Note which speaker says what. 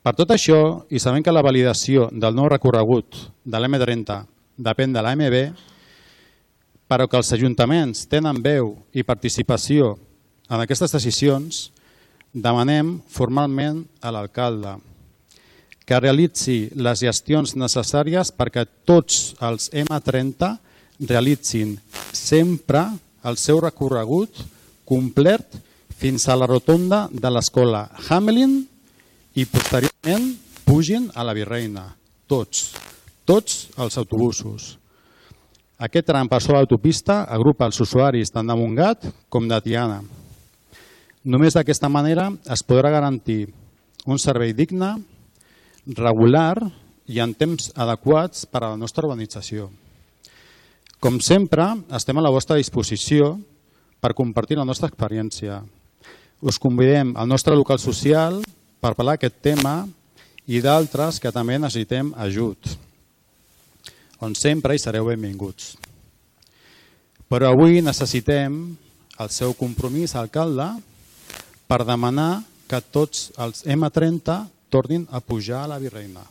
Speaker 1: Per tot això, i sabent que la validació del nou recorregut de l'M30 depèn de l'AMB, però que els ajuntaments tenen veu i participació en aquestes decisions, demanem formalment a l'alcalde que realitzi les gestions necessàries perquè tots els M30 realitzin sempre el seu recorregut complet fins a la rotonda de l'escola Hamelin i posteriorment pugin a la Virreina. Tots els autobusos. Aquest tram per sobre l'autopista agrupa els usuaris tant de Montgat com de Tiana. Només d'aquesta manera es podrà garantir un servei digne, regular i en temps adequats per a la nostra urbanització. Com sempre, estem a la vostra disposició per compartir la nostra experiència. Us convidem al nostre local social per parlar d'aquest tema i d'altres que també necessitem ajut, on sempre hi sereu benvinguts. Però avui necessitem el seu compromís, alcalde, per demanar que tots els M30 tornin a pujar a la Virreina.